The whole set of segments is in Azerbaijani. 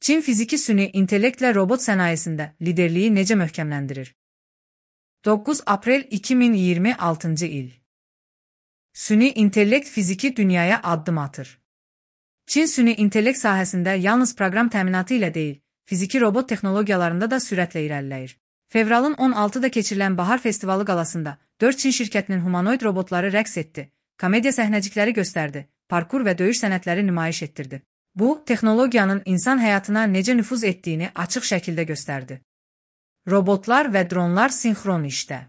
Çin fiziki süni intellektlə robot sənayesində liderliyi necə möhkəmləndirir? 9 aprel 2026 il. Süni intellekt fiziki dünyaya addım atır. Çin süni intellekt sahəsində yalnız proqram təminatı ilə deyil, fiziki robot texnologiyalarında da sürətlə irəliləyir. Fevralın 16-da keçirilən Bahar Festivalı qalasında 4 Çin şirkətinin humanoid robotları rəqs etdi, komediya səhnəcikləri göstərdi, parkur və döyüş sənətləri nümayiş etdirdi. Bu, texnologiyanın insan həyatına necə nüfuz etdiyini açıq şəkildə göstərdi. Robotlar və dronlar sinxron işdə.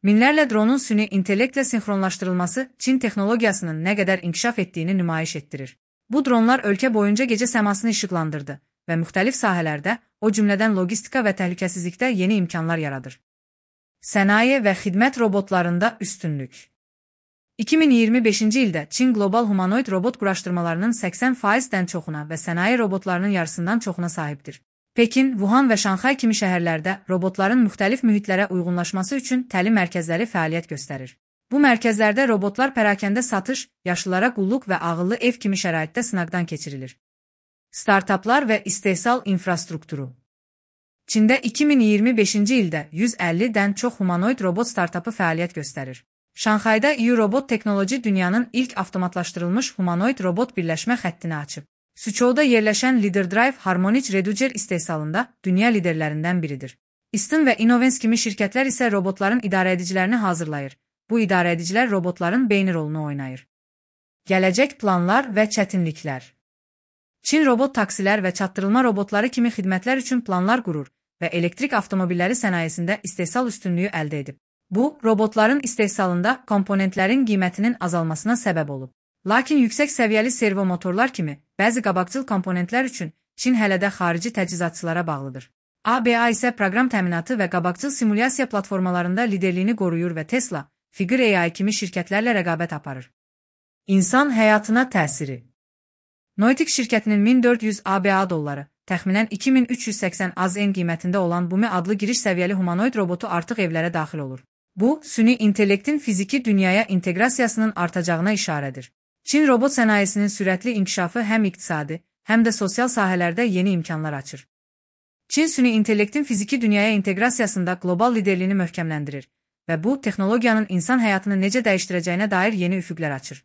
Minlərlə dronun süni intellektlə sinxronlaşdırılması Çin texnologiyasının nə qədər inkişaf etdiyini nümayiş etdirir. Bu dronlar ölkə boyunca gecə səmasını işıqlandırdı və müxtəlif sahələrdə, o cümlədən logistika və təhlükəsizlikdə yeni imkanlar yaradır. Sənaye və xidmət robotlarında üstünlük. 2025-ci ildə Çin qlobal humanoid robot quraşdırmalarının 80%-dən çoxuna və sənaye robotlarının yarısından çoxuna sahibdir. Pekin, Wuhan və Şanxay kimi şəhərlərdə robotların müxtəlif mühitlərə uyğunlaşması üçün təlim mərkəzləri fəaliyyət göstərir. Bu mərkəzlərdə robotlar pərakəndə satış, yaşlılara qulluq və ağıllı ev kimi şəraitdə sınaqdan keçirilir. Startaplar və istehsal infrastrukturu. Çində 2025-ci ildə 150-dən çox humanoid robot startapı fəaliyyət göstərir. Şanxayda U-Robot Teknoloji dünyanın ilk avtomatlaşdırılmış humanoid robot birləşmə xəttini açıb. Suçovda yerləşən LeaderDrive Harmonic Reducer istehsalında dünya liderlərindən biridir. Easton və Innovens kimi şirkətlər isə robotların idarəedicilərini hazırlayır. Bu idarəedicilər robotların beyni rolunu oynayır. Gələcək planlar və çətinliklər. Çin robot taksilər və çatdırılma robotları kimi xidmətlər üçün planlar qurur və elektrik avtomobilləri sənayesində istehsal üstünlüyü əldə edib. Bu, robotların istehsalında komponentlərin qiymətinin azalmasına səbəb olub. Lakin yüksək səviyyəli servo motorlar kimi bəzi qabaqcıl komponentlər üçün Çin hələ də xarici təchizatçılara bağlıdır. ABA isə proqram təminatı və qabaqcıl simulyasiya platformalarında liderliyini qoruyur və Tesla, Figure AI kimi şirkətlərlə rəqabət aparır. İnsan həyatına təsiri. Noitic şirkətinin 1400 ABA dolları, təxminən 2380 AZN qiymətində olan Bumi adlı giriş səviyyəli humanoid robotu artıq evlərə daxil olur. Bu, süni intellektin fiziki dünyaya inteqrasiyasının artacağına işarədir. Çin robot sənayesinin sürətli inkişafı həm iqtisadi, həm də sosial sahələrdə yeni imkanlar açır. Çin süni intellektin fiziki dünyaya inteqrasiyasında qlobal liderliyini möhkəmləndirir və bu, texnologiyanın insan həyatını necə dəyişdirəcəyinə dair yeni üfüqlər açır.